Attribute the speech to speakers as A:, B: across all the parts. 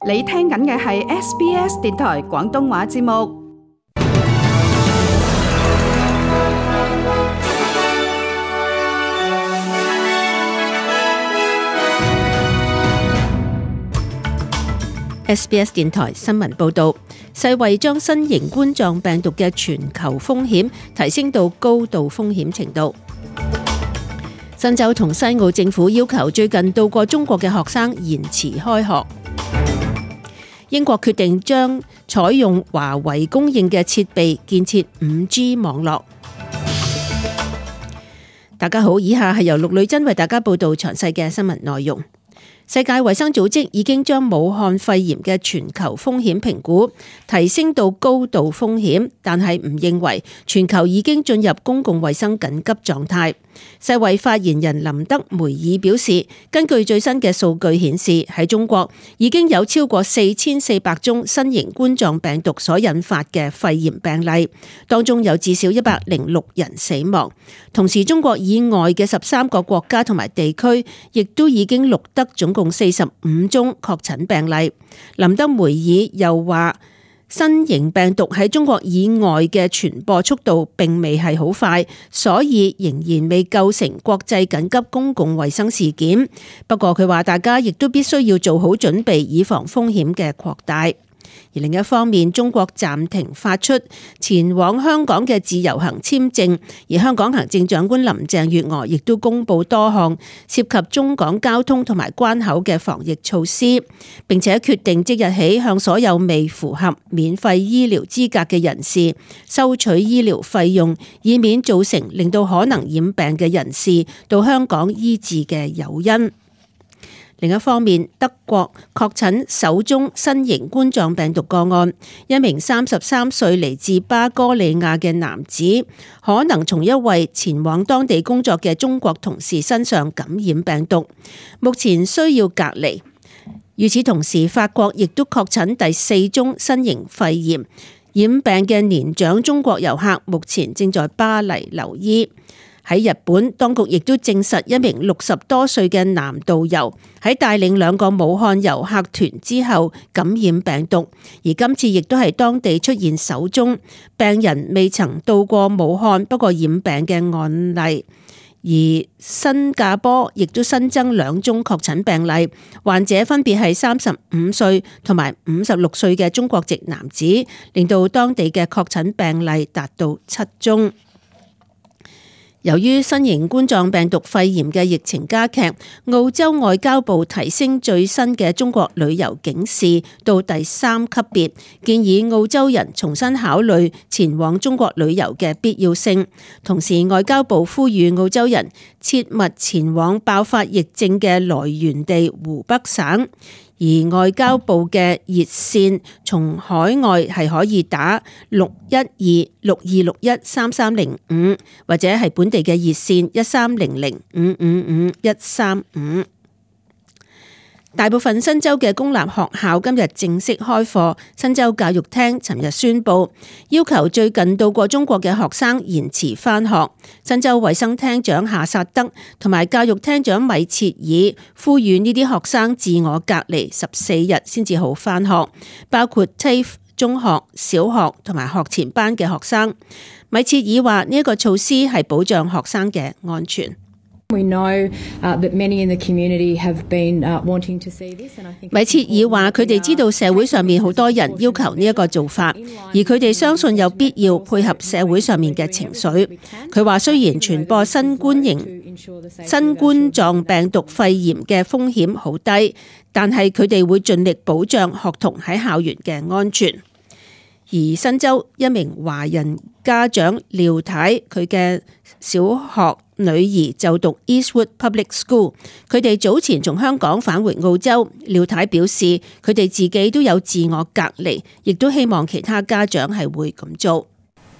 A: 你聽緊嘅係 SBS 電台廣東話節目。
B: SBS 電台新聞報導，世衛將新型冠狀病毒嘅全球風險提升到高度風險程度。新州同西澳政府要求最近到過中國嘅學生延遲開學。英國決定將採用華為供應嘅設備建設 5G 網絡。大家好，以下係由陸女真為大家報導詳細嘅新聞內容。世界衛生組織已經將武漢肺炎嘅全球風險評估提升到高度風險，但係唔認為全球已經進入公共衛生緊急狀態。世衛發言人林德梅爾表示，根據最新嘅數據顯示，喺中國已經有超過4400宗新型冠狀病毒所引發嘅肺炎病例，當中有至少106人死亡。同時，中國以外嘅13個國家同埋地區亦都已經錄得總共45宗確診病例。林德梅爾又話，新型病毒喺中國以外嘅傳播速度並未係好快，所以仍然未構成國際緊急公共衛生事件。不過佢話大家亦都必須要做好準備，以防風險嘅擴大。而另一方面，中國暫停發出前往香港嘅自由行簽證，而香港行政長官林鄭月娥亦都公布多項涉及中港交通同埋關口嘅防疫措施，並且決定即日起向所有未符合免費醫療資格嘅人士收取醫療費用，以免造成令到可能染病嘅人士到香港醫治嘅誘因。另一方面，德國確診首宗新型冠狀病毒個案，一名33歲嚟自巴哥利亞嘅男子，可能從一位前往當地工作嘅中國同事身上感染病毒，目前需要隔離。與此同時，法國亦都確診第4宗新型肺炎，染病嘅年長中國遊客目前正在巴黎留醫。喺日本，當局亦都證實一名60多歲嘅男導遊喺帶領2個武漢遊客團之後感染病毒，而今次亦都係當地出現首宗病人未曾到過武漢不過染病嘅案例。而新加坡亦都新增2宗確診病例，患者分別係35歲同埋56歲嘅中國籍男子，令到當地嘅確診病例達到7宗。由於新型冠狀病毒肺炎嘅疫情加劇，澳洲外交部提升最新嘅中國旅遊警示到第3級別，建議澳洲人重新考慮前往中國旅遊嘅必要性。同時，外交部呼籲澳洲人切勿前往爆發疫症嘅來源地湖北省。而外交部嘅熱線從海外係可以打612-6261-3305，或者係本地嘅熱線1300-555-135。大部分新州嘅公立學校今日正式開課。新州教育廳尋日宣布，要求最近到過中國嘅學生延遲返學。新州衛生廳長夏薩德同埋教育廳長米切爾呼籲呢啲學生自我隔離14日先至好返學，包括 TAFE 中學、小學同埋學前班嘅學生。米切爾話呢一個措施係保障學生嘅安全。
C: We know that many in the community have been wanting to see this, and I think
B: 米切爾話佢哋知道社會上面好多人要求呢一個做法，而佢哋相信有必要配合社會上面嘅情緒。佢話雖然傳播新冠狀病毒肺炎嘅風險好低，但係佢哋會盡力保障學童喺校園嘅安全。而新州一名華人家長廖太，佢嘅小學女兒就讀 Eastwood Public School， 佢哋早前從香港返回澳洲。廖太表示佢哋自己都有自我隔離，亦都希望其他家長係會咁做。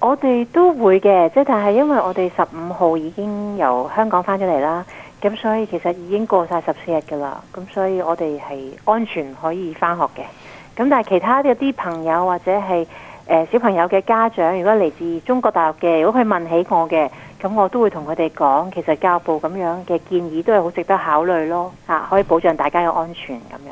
D: 我哋都會嘅，即係但係因為我哋15號已經由香港返咗嚟啦，咁所以其實已經過晒14日㗎啦，咁所以我哋係安全可以返學嘅。咁但係其他嘅啲朋友或者係小朋友嘅家長，如果嚟自中國大陸嘅，如果佢問起我嘅，咁我都會同佢哋講，其實教育部咁樣嘅建議都係好值得考慮咯，可以保障大家嘅安全咁樣。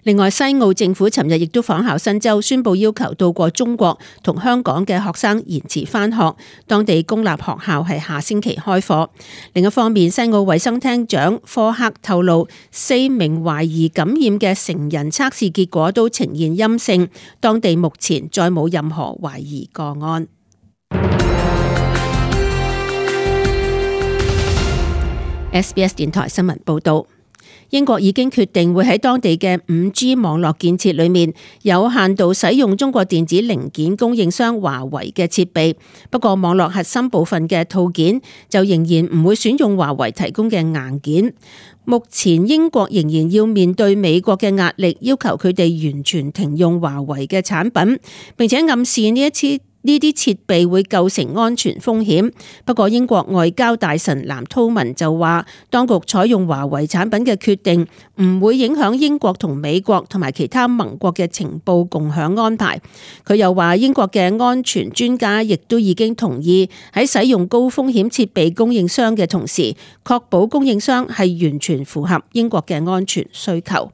B: 另外，西澳政府尋日亦都仿效新州，宣布要求到過中國同香港嘅學生延遲返學，當地公立學校係下星期開課。另一方面，西澳衛生廳長科克透露，4名懷疑感染嘅成人測試結果都呈現陰性，當地目前再冇任何懷疑個案。SBS 電台新聞報道。英國已經決定會喺當地嘅 5G 網絡建設裏面有限度使用中國電子零件供應商華為嘅設備，不過網絡核心部分嘅套件就仍然唔會選用華為提供嘅硬件。目前英國仍然要面對美國嘅壓力，要求佢哋完全停用華為嘅產品，並且暗示呢啲設備會構成安全風險。不過英國外交大臣藍韜文就話，當局採用華為產品嘅決定唔會影響英國同美國同埋其他盟國嘅情報共享安排。佢又話，英國嘅安全專家亦都已經同意喺使用高風險設備供應商嘅同時，確保供應商係完全符合英國嘅安全需求。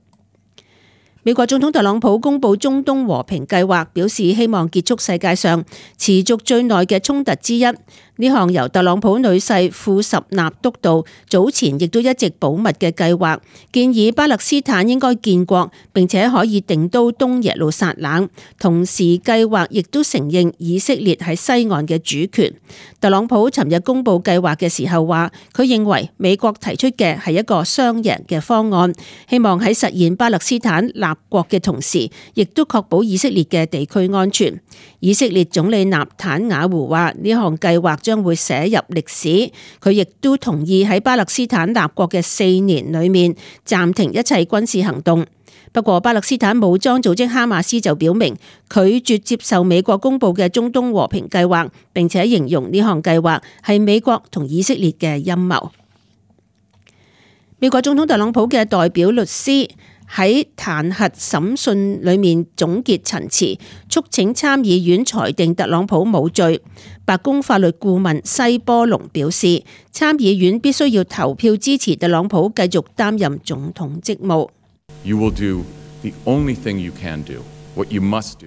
B: 美國總統特朗普公布中東和平計劃，表示希望結束世界上持續最耐嘅衝突之一。呢項由特朗普女婿庫什納督導，早前亦都一直保密嘅計劃，建議巴勒斯坦應該建國，並且可以定都東耶路撒冷。同時計劃亦都承認以色列喺西岸嘅主權。特朗普尋日公布計劃嘅時候話，佢認為美國提出嘅係一個雙贏嘅方案，希望喺實現巴勒斯坦立國嘅同時，亦都確保以色列嘅地區安全。以色列總理納坦雅胡話，呢項計劃將會寫入歷史。佢亦都同意喺巴勒斯坦立國嘅4年裏面暫停一切軍事行動。不過巴勒斯坦武裝組織哈馬斯就表明拒絕接受美國公布嘅中東和平計劃，並且形容呢項計劃係美國同以色列嘅陰謀。美國總統特朗普嘅代表律師喺彈劾審訊裏面總結陳詞，促請參議院裁定特朗普無罪。白宮法律顧問西波隆表示，參議院必須要投票支持特朗普繼續擔任總統職務。
E: You will do the only thing you can do, what you must do.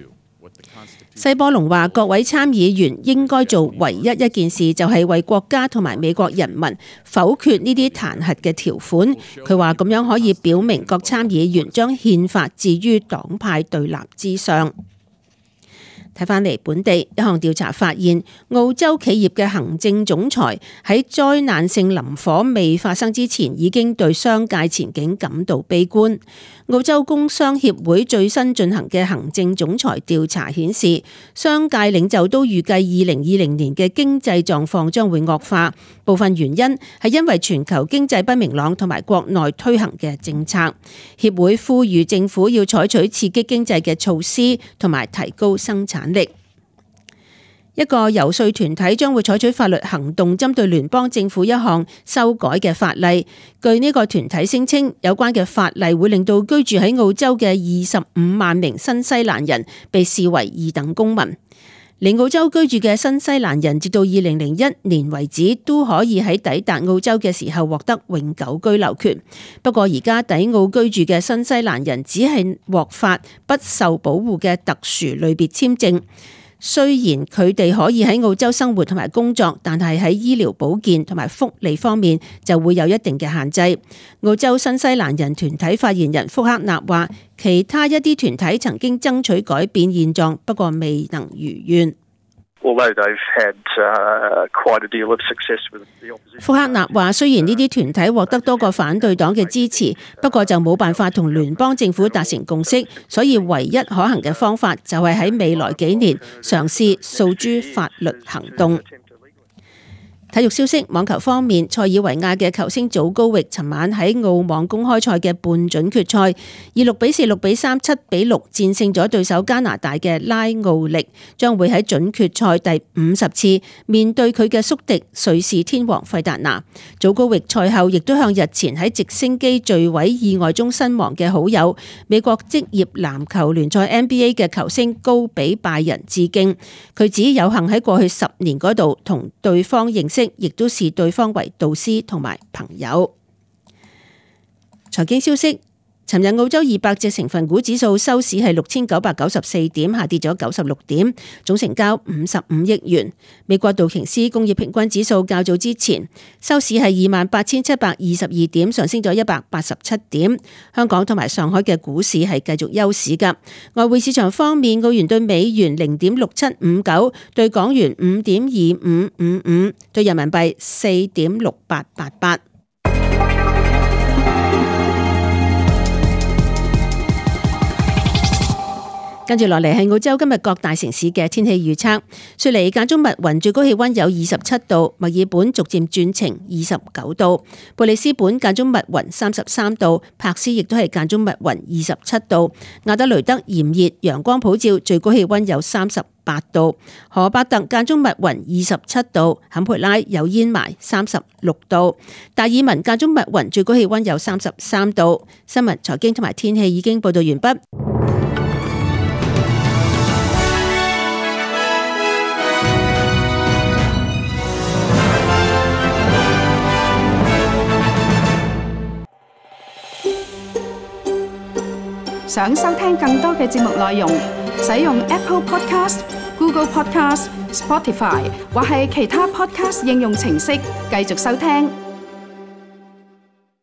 B: 西波隆話：各位參議員應該做唯一一件事，就係為國家同埋美國人民否決呢啲彈劾嘅條款。佢話咁樣可以表明各參議員將憲法置於黨派對立之上。睇返嚟本地，一項調查發現，澳洲企業嘅行政總裁喺災難性林火未發生之前，已經對商界前景感到悲觀。澳洲工商協會最新進行嘅行政總裁調查顯示，商界領袖都預計2020年嘅經濟狀況將會惡化，部分原因係因為全球經濟不明朗同埋國內推行嘅政策。協會呼籲政府要採取刺激經濟嘅措施，同埋提高生產力。一個遊說團體將會採取法律行動，針對聯邦政府一項修改嘅法例。據呢個團體聲稱，有關嘅法例會令到居住喺澳洲嘅25萬名新西蘭人被視為二等公民。嚟澳洲居住嘅新西蘭人，直到2001年為止，都可以喺抵達澳洲嘅時候獲得永久居留權。不過而家抵澳居住嘅新西蘭人只係獲發不受保護嘅特殊類別簽證。雖然佢哋可以喺澳洲生活同埋工作，但係喺醫療保健同埋福利方面就會有一定嘅限制。澳洲新西蘭人團體發言人福克納話，其他一啲團體曾經爭取改變現狀，不過未能如願。福克納話，雖然呢啲團體獲得多個反對黨嘅支持，不過就冇辦法同聯邦政府達成共識，所以唯一可行嘅方法就係喺未來幾年嘗試訴諸法律行動。體育消息，網球方面，塞爾維亞嘅球星祖高域尋晚喺澳網公開賽嘅半準決賽，以6比4、6比3、7比6戰勝咗對手加拿大嘅拉奧力，將會喺準決賽第50次面對佢嘅宿敵瑞士天王費達拿。祖高域賽後亦都向日前喺直升機墜毀意外中身亡嘅好友美國職業籃球聯賽 NBA 嘅球星高比拜仁致敬。佢指有幸喺過去10年嗰度同對方認識，亦都視對方為導師同埋朋友。財經消息，尋日澳洲200隻成分股指數收市係6994點，下跌咗96點，總成交55億元。美國道瓊斯工業平均指數較早之前收市係28,722點，上升咗187點。香港同埋上海嘅股市係繼續休市㗎。外匯市場方面，澳元對美元0.6759，對港元5.2555，對人民幣4.6888。跟住落嚟係澳洲今日各大城市嘅天氣預測。雪梨間中密雲，最高氣溫有27度；墨爾本逐漸轉晴，29度；布里斯本間中密雲，33度；柏斯亦都係間中密雲，27度；亞德雷德炎熱，陽光普照，最高氣溫有38度；荷伯特間中密雲，27度；坎培拉有煙霾，36度；達爾文間中密雲，最高氣溫有33度。新聞、財經同埋天氣已經報道完畢。
A: 想收聽更多嘅節目內容，使用 Apple Podcast、Google Podcast、Spotify 或係其他 Podcast 應用程式繼續收聽。